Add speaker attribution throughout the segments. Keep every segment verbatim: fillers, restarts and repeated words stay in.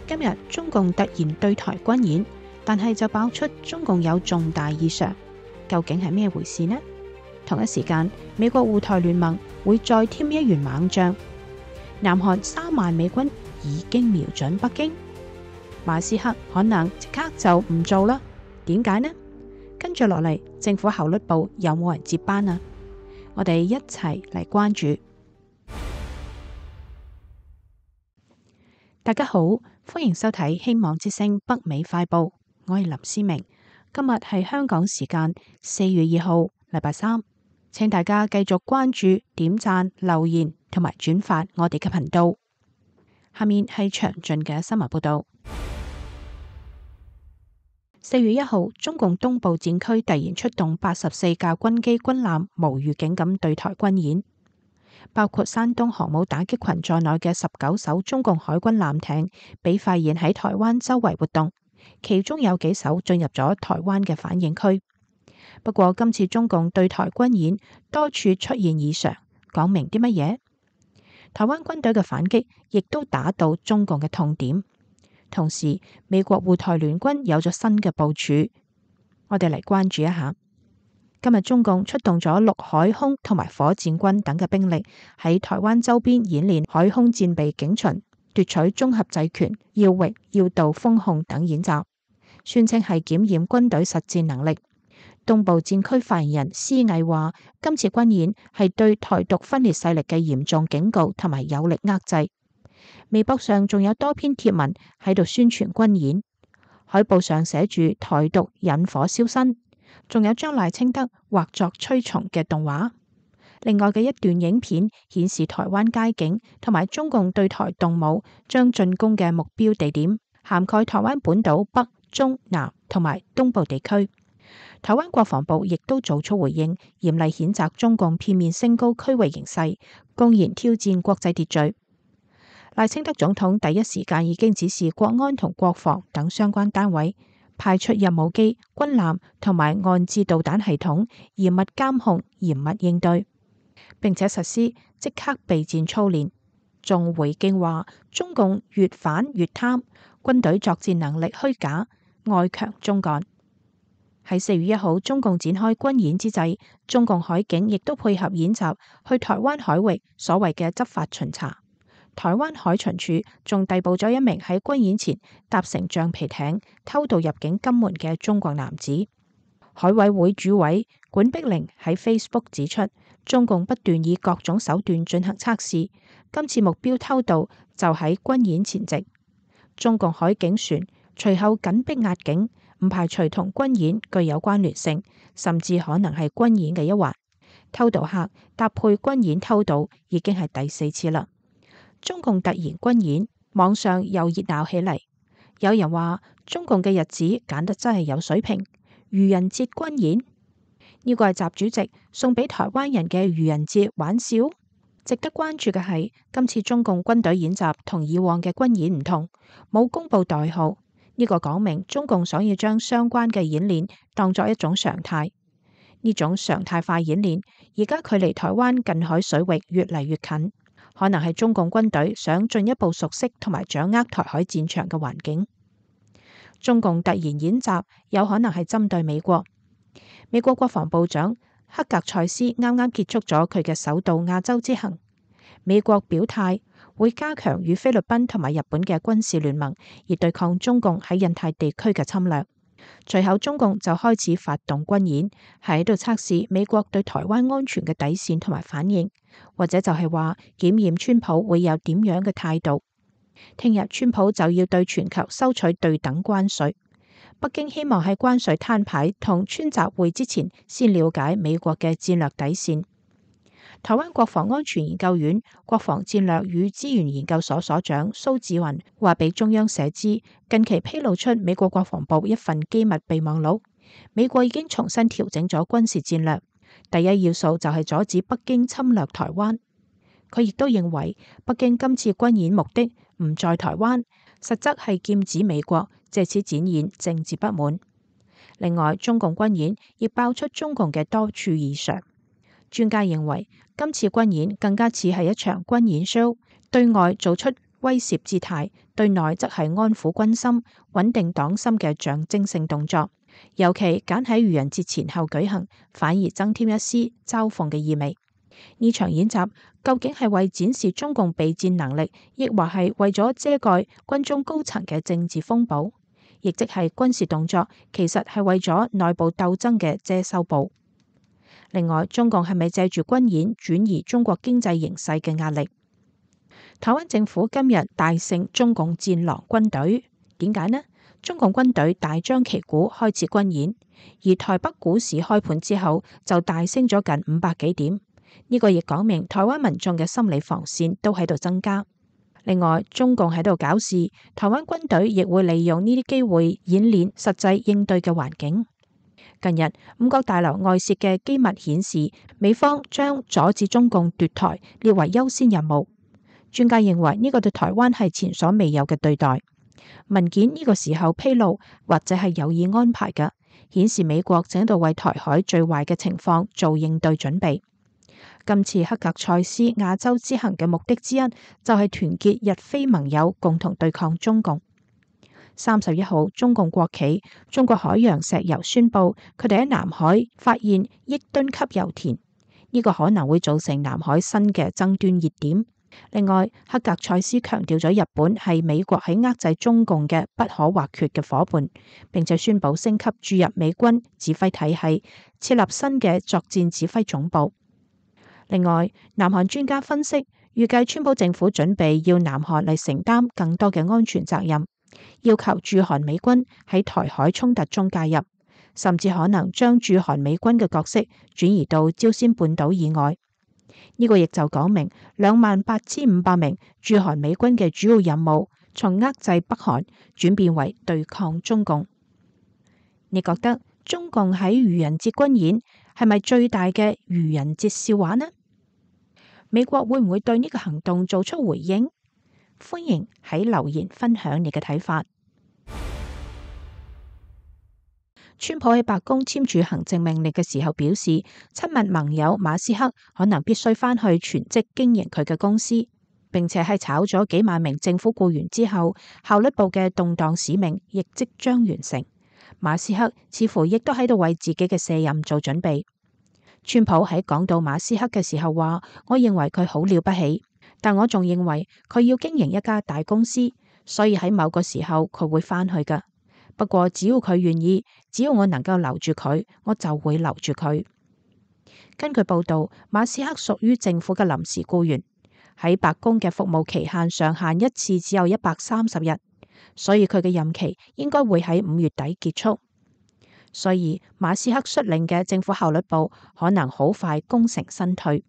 Speaker 1: 今日中共突然對台軍演，但係就爆出中共有重大異常，究竟係咩回事呢？同一時間，美國護台聯盟會再添一員猛將，南韓三萬美軍已經瞄準北京，馬斯克可能即刻就唔做啦。點解呢？跟住落嚟，政府效率部有冇人接班啊？我哋一齊嚟關注。大家好，歡迎收睇希望之聲北美快報，我係林思明。今日係香港時間四月二號，禮拜三，請大家繼續關注、點讚、留言同埋轉發我哋嘅頻道。下面係詳盡嘅新聞報道。四月一號，中共東部戰區突然出動八十四架軍機軍艦，無預警咁對台軍演。包括山東航母打擊群在內嘅十九艘中共海軍艦艇被發現喺台灣周圍活動，其中有幾艘進入咗台灣嘅反應區。不過今次中共對台軍演多處出現異常，講明啲乜嘢？台灣軍隊嘅反擊亦都打到中共嘅痛點。同時，美國護台聯軍有咗新嘅部署，我哋嚟關注一下。今日中共出動咗陸海空同埋火箭軍等嘅兵力喺台灣周邊演練海空戰備警巡、奪取綜合制權、要域要道封控等演習，宣稱係檢驗軍隊實戰能力。東部戰區發言人施毅話：今次軍演係對台獨分裂勢力嘅嚴重警告同埋有力遏制。微博上仲有多篇貼文喺度宣傳軍演，海報上寫住台獨引火燒身。仲有將賴清德畫作蛆蟲嘅動畫。另外嘅一段影片顯示台灣街景同埋中共對台動武，將進攻嘅目標地點涵蓋台灣本島北、中、南同埋東部地區。台灣國防部亦都做出回應，嚴厲譴責中共片面升高區域形勢，公然挑戰國際秩序。賴清德總統第一時間已經指示國安同國防等相關單位派出任務機、軍艦同埋岸置導彈系統，嚴密監控、嚴密應對，並且實施即刻備戰操練。仲回敬話：中共越反越貪，軍隊作戰能力虛假，外強中幹。喺四月一號，中共展開軍演之際，中共海警亦都配合演習，去台灣海域所謂嘅執法巡查。台灣海巡署仲逮捕咗一名喺軍演前搭乘橡皮艇偷渡入境金門嘅中國男子。海委會主委管碧玲喺 Facebook 指出，中共不斷以各種手段進行測試，今次目標偷渡就喺軍演前夕。中共海警船隨後緊逼壓境，唔排除同軍演具有關聯性，甚至可能係軍演嘅一環。偷渡客搭配軍演偷渡已經係第四次啦。中共突然軍演，網上又熱鬧起嚟。有人話中共嘅日子揀得真係有水平，愚人節軍演，呢個係習主席送俾台灣人嘅愚人節玩笑。值得關注嘅係，今次中共軍隊演習同以往嘅軍演唔同，冇公布代號，呢個講明中共想要將相關嘅演練當作一種常態。呢種常態化演練而家距離台灣近海水域越嚟越近。可能係中共軍隊想進一步熟悉同埋掌握台海戰場嘅環境。中共突然演習有可能係針對美國。美國國防部長克格塞斯啱啱結束咗佢嘅首度亞洲之行。美國表態會加強與菲律賓同埋日本嘅軍事聯盟，以對抗中共喺印太地區嘅侵略。隨後中共就開始發動軍演，係喺度測試美國對台灣安全嘅底線同埋反應，或者就係話檢驗川普會有點樣嘅態度。聽日川普就要對全球收取對等關稅，北京希望喺關稅攤牌同川習會之前先了解美國嘅戰略底線。台灣國防安全研究院國防戰略與資源研究所所長蘇志雲話俾中央社知，近期披露出美國國防部一份機密備忘錄，美國已經重新調整咗軍事戰略，第一要素就係阻止北京侵略台灣。佢亦都認為北京今次軍演目的唔在台灣，實則係劍指美國，借此展現政治不滿。另外，中共軍演亦爆出中共嘅多處異常。專家認為今次軍演更加似係一場軍演 show， 對外做出威懾姿態，對內則係安撫軍心、穩定黨心嘅象徵性動作。尤其揀喺愚人節前後舉行，反而增添一絲嘲諷嘅意味。呢場演習究竟係為展示中共備戰能力，抑或係為咗遮蓋軍中高層嘅政治風暴？亦即係軍事動作，其實係為咗內部鬥爭嘅遮羞布。另外，中共係咪借住軍演轉移中國經濟形勢嘅壓力？台灣政府今日大勝中共戰狼軍隊，點解呢？中共軍隊大張旗鼓開始軍演，而台北股市開盤之後就大升咗近五百幾點，呢個亦講明台灣民眾嘅心理防線都喺度增加。另外，中共喺度搞事，台灣軍隊亦會利用呢啲機會演練實際應對嘅環境。近日五角大樓外泄嘅機密顯示，美方將阻止中共奪台列為優先任務。專家認為呢個對台灣係前所未有嘅對待。文件呢個時候披露，或者係有意安排嘅，顯示美國正喺度為台海最壞嘅情況做應對準備。今次黑格塞斯亞洲之行嘅目的之一，就係團結日非盟友，共同對抗中共。三十一號，中共國企中國海洋石油宣布，佢哋喺南海發現億噸級油田，呢個可能會造成南海新嘅爭端熱點。另外，黑格塞斯強調咗日本係美國喺遏制中共嘅不可或缺嘅夥伴，並且宣布升級注入美軍指揮體系，設立新嘅作戰指揮總部。另外，南韓專家分析，預計川普政府準備要南韓嚟承擔更多嘅安全責任，要求駐韓美軍喺台海衝突中介入，甚至可能將駐韓美軍嘅角色轉移到朝鮮半島以外。呢個亦就講明兩萬八千五百名駐韓美軍嘅主要任務，從遏制北韓轉變為對抗中共。你覺得中共喺愚人節軍演係咪最大嘅愚人節笑話呢？美國會唔會對呢個行動做出回應？歡迎喺留言分享你嘅睇法。川普喺白宮簽署行政命令嘅時候表示，親密盟友馬斯克可能必須返去全職經營佢嘅公司，並且係炒咗幾萬名政府僱員之後，效率部嘅動盪使命亦即將完成。馬斯克似乎亦都喺度為自己嘅卸任做準備。川普喺講到馬斯克嘅時候話，我認為佢好了不起，但我仲認為佢要經營一家大公司，所以喺某個時候佢會返去㗎。不過只要佢願意，只要我能夠留住佢，我就會留住佢。根據報道，馬斯克屬於政府嘅臨時僱員，喺白宮嘅服務期限上限一次只有一百三十日，所以佢嘅任期應該會喺五月底結束。所以馬斯克率領嘅政府效率部可能好快功成身退。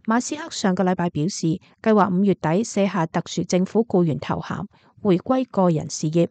Speaker 1: 馬斯克上個禮拜表示，計劃五月底卸下特殊政府僱員頭銜，回歸個人事業。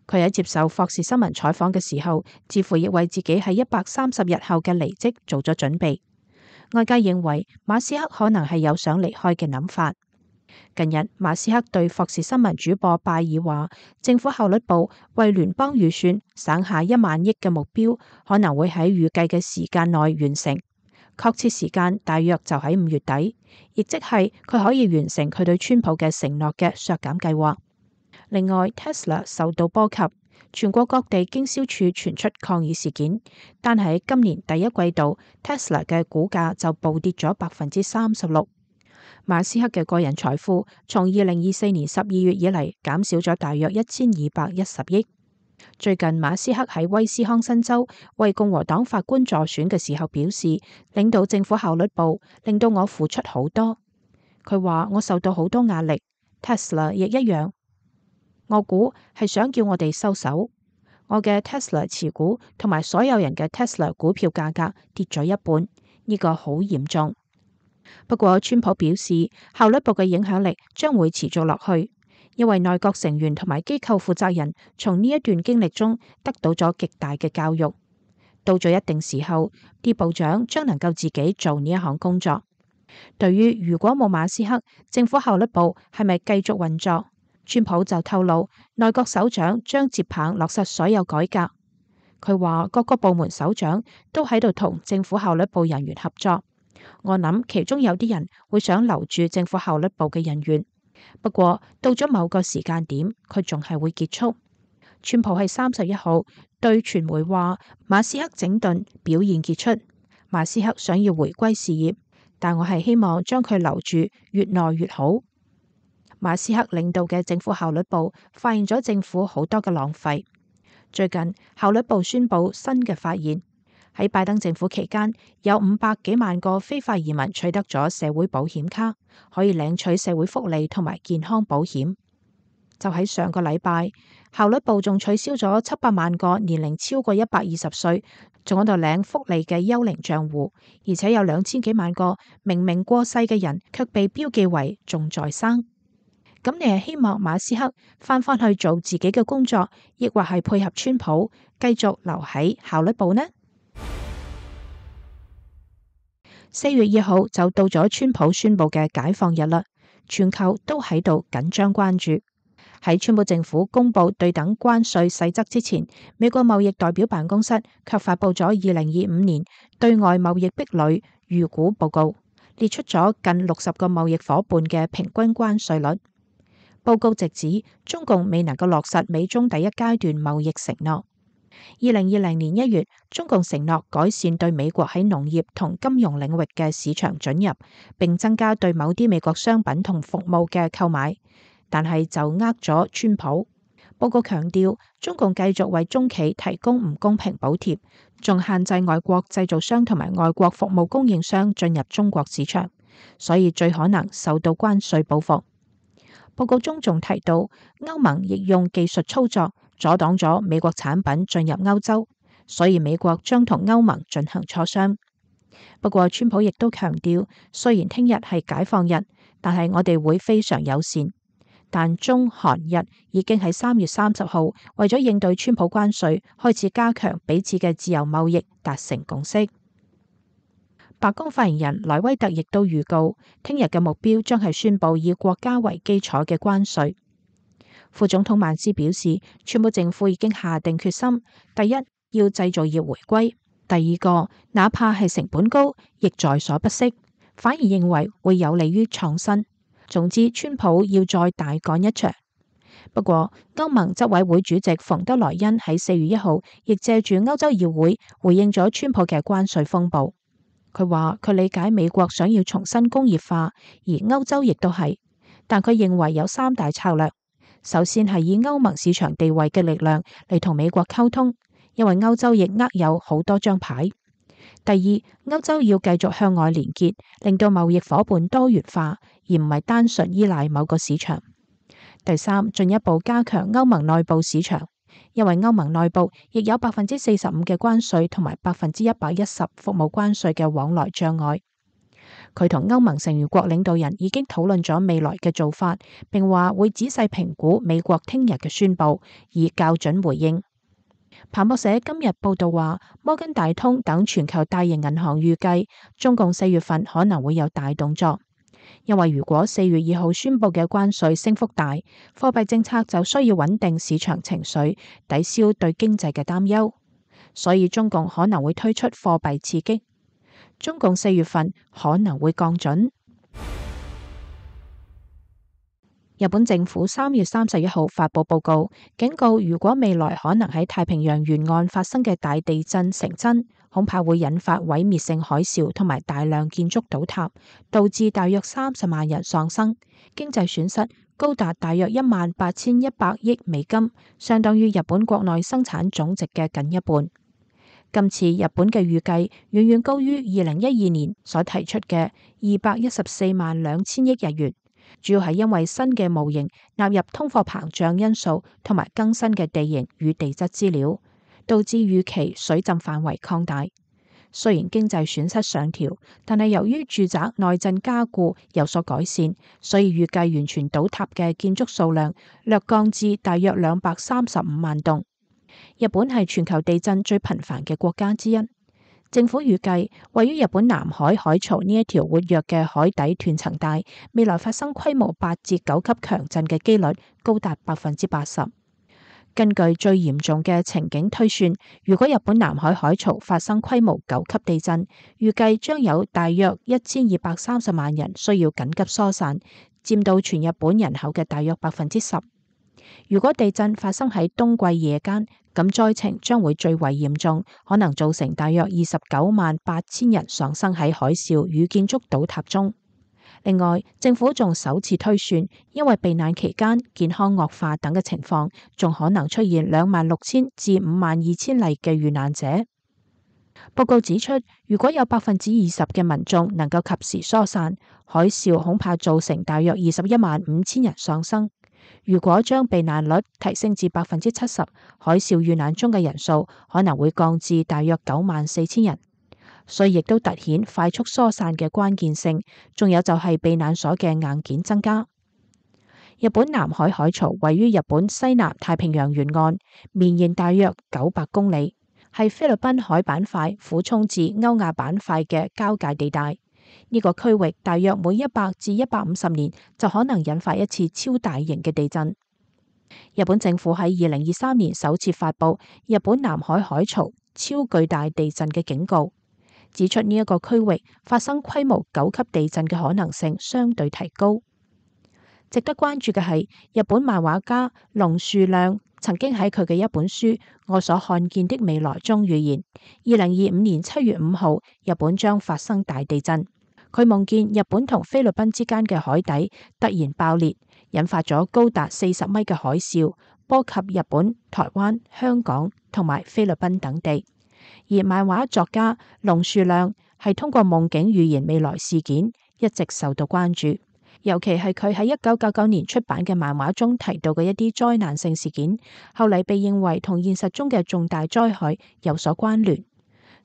Speaker 1: 佢喺接受霍士新聞採訪嘅時候，似乎亦為自己喺一百三十日後嘅離職做咗準備。外界認為馬斯克可能係有想離開嘅諗法。近日，馬斯克對霍士新聞主播拜爾話，政府效率部為聯邦預算省下一萬億嘅目標，可能會喺預計嘅時間內完成，確切時間大約就喺五月底，亦即係佢可以完成佢對川普嘅承諾嘅削減計劃。另外 ，Tesla 受到波及，全國各地經銷處傳出抗議事件，但係今年第一季度 Tesla 嘅股價就暴跌咗百分之三十六。馬斯克嘅個人財富從二零二四年十二月以嚟減少咗大約一千二百一十億。最近馬斯克喺威斯康辛州為共和黨法官助選嘅時候表示，領導政府效率部令到我付出好多。佢話我受到好多壓力 ，Tesla 亦一樣。我估係想叫我哋收手。我嘅 Tesla 持股同埋所有人嘅 Tesla 股票價格跌咗一半，呢個好嚴重。不過川普表示，效率部嘅影響力將會持續落去，因為內閣成員同埋機構負責人從呢一段經歷中得到咗極大嘅教育。到咗一定時候，啲部長將能夠自己做呢一項工作。對於如果冇馬斯克，政府效率部係咪繼續運作？川普就透露，內閣首長將接棒落實所有改革。佢話各個部門首長都喺度同政府效率部人員合作。我諗其中有啲人會想留住政府效率部嘅人員，不過到咗某個時間點，佢仲係會結束。川普喺三十一號對傳媒話，馬斯克整頓表現傑出，馬斯克想要回歸事業，但我係希望將佢留住，越耐越好。馬斯克領導嘅政府效率部發現咗政府好多嘅浪費。最近效率部宣布新嘅發現，喺拜登政府期間，有五百幾萬個非法移民取得咗社會保險卡，可以領取社會福利同埋健康保險。就喺上個禮拜，效率部仲取消咗七百萬個年齡超過一百二十歲仲喺度領福利嘅幽靈賬戶，而且有兩千幾萬個明明過世嘅人卻被標記為仲在生。咁你係希望馬斯克翻返去做自己嘅工作，亦或係配合川普繼續留喺效率部呢？四月二號就到咗川普宣布嘅解放日啦，全球都喺度緊張關注。喺川普政府公布對等關稅細則之前，美國貿易代表辦公室卻發布咗二零二五年對外貿易壁壘預估報告，列出咗近六十個貿易夥伴嘅平均關稅率。報告直指中共未能夠落實美中第一階段貿易承諾。二零二零年一月，中共承諾改善對美國喺農業同金融領域嘅市場准入，並增加對某啲美國商品同服務嘅購買，但係就呃咗川普。報告強調，中共繼續為中企提供唔公平補貼，仲限制外國製造商同埋外國服務供應商進入中國市場，所以最可能受到關稅報復。報告中仲提到，歐盟亦用技術操作阻擋咗美國產品進入歐洲，所以美國將同歐盟進行磋商。不過，川普亦都強調，雖然聽日係解放日，但係我哋會非常友善。但中韓日已經喺三月三十號為咗應對川普關稅，開始加強彼此嘅自由貿易，達成共識。白宮發言人萊威特亦都預告，聽日嘅目標將係宣布以國家為基礎嘅關稅。副總統曼斯表示，川普政府已經下定決心，第一要製造業回歸，第二個哪怕係成本高，亦在所不惜，反而認為會有利於創新。總之，川普要再大幹一場。不過，歐盟執委會主席馮德萊恩喺四月一號亦借住歐洲議會回應咗川普嘅關稅風暴。佢話佢理解美國想要重新工業化，而歐洲亦都係，但佢認為有三大策略。首先係以歐盟市場地位嘅力量嚟同美國溝通，因為歐洲亦握有好多張牌。第二，歐洲要繼續向外連結，令到貿易夥伴多元化，而唔係單純依賴某個市場。第三，進一步加強歐盟內部市場。因為歐盟內部亦有百分之四十五嘅關稅同埋百分之一百一十服務關稅嘅往來障礙。佢同歐盟成員國領導人已經討論咗未來嘅做法，並話會仔細評估美國聽日嘅宣佈，以校準回應。彭博社今日報道話，摩根大通等全球大型銀行預計中共四月份可能會有大動作。因為如果四月二號宣布嘅關稅升幅大，貨幣政策就需要穩定市場情緒，抵消對經濟嘅擔憂，所以中共可能會推出貨幣刺激。中共四月份可能會降準。日本政府三月三十一號發佈報告，警告如果未來可能喺太平洋沿岸發生嘅大地震成真，恐怕會引發毀滅性海嘯同埋大量建築倒塌，導致大約三十萬人喪生，經濟損失高達大約一萬八千一百億美金，相當於日本國內生產總值嘅近一半。今次日本嘅預計遠遠高於二零一二年所提出嘅二百一十四萬兩千億日元。主要係因為新嘅模型納入通貨膨脹因素同埋更新嘅地形與地質資料，導致預期水浸範圍擴大。雖然經濟損失上調，但係由於住宅內震加固有所改善，所以預計完全倒塌嘅建築數量略降至大約兩百三十五萬棟。日本係全球地震最頻繁嘅國家之一。政府預計，位於日本南海海槽呢一條活躍嘅海底斷層帶，未來發生規模八至九級強震嘅機率高達百分之八十。根據最嚴重嘅情景推算，如果日本南海海槽發生規模九級地震，預計將有大約一千二百三十萬人需要緊急疏散，佔到全日本人口嘅大約百分之十。如果地震發生喺冬季夜間，咁災情將會最為嚴重，可能造成大約二十九萬八千人喪生喺海嘯與建築倒塌中。另外，政府仲首次推算，因為避難期間健康惡化等嘅情況，仲可能出現兩萬六千至五萬二千例嘅遇難者。報告指出，如果有百分之二十嘅民眾能夠及時疏散，海嘯恐怕造成大約二十一萬五千人喪生。如果將避難率提升至百分之七十，海嘯遇難中嘅人數可能會降至大約九萬四千人。所以亦都凸顯快速疏散嘅關鍵性，仲有就係避難所嘅硬件增加。日本南海海槽位於日本西南太平洋沿岸，綿延大約九百公里，係菲律賓海板塊俯衝至歐亞板塊嘅交界地帶。呢個區域大約每一百至一百五十年就可能引發一次超大型嘅地震。日本政府喺二零二三年首次發布日本南海海槽超巨大地震嘅警告，指出呢一個區域發生規模九級地震嘅可能性相對提高。值得關注嘅係，日本漫畫家龍樹亮曾經喺佢嘅一本書《我所看見的未來》中預言，二零二五年七月五號日本將發生大地震。佢夢見日本同菲律賓之間嘅海底突然爆裂，引發咗高達四十米嘅海嘯，波及日本、台灣、香港同埋菲律賓等地。而漫畫作家龍樹亮係通過夢境預言未來事件，一直受到關注。尤其係佢喺一九九九年出版嘅漫畫中提到嘅一啲災難性事件，後嚟被認為同現實中嘅重大災害有所關聯。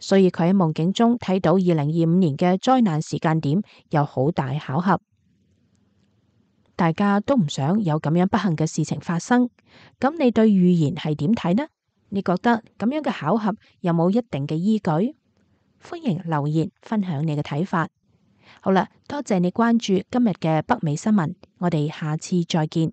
Speaker 1: 所以佢喺夢境中睇到二零二五年嘅災難時間點有好大巧合。大家都唔想有咁樣不幸嘅事情發生，咁你對預言係點睇呢？你覺得咁樣嘅巧合有冇一定嘅依據？歡迎留言分享你嘅睇法。好啦，多謝你關注今日嘅北美新聞，我哋下次再見。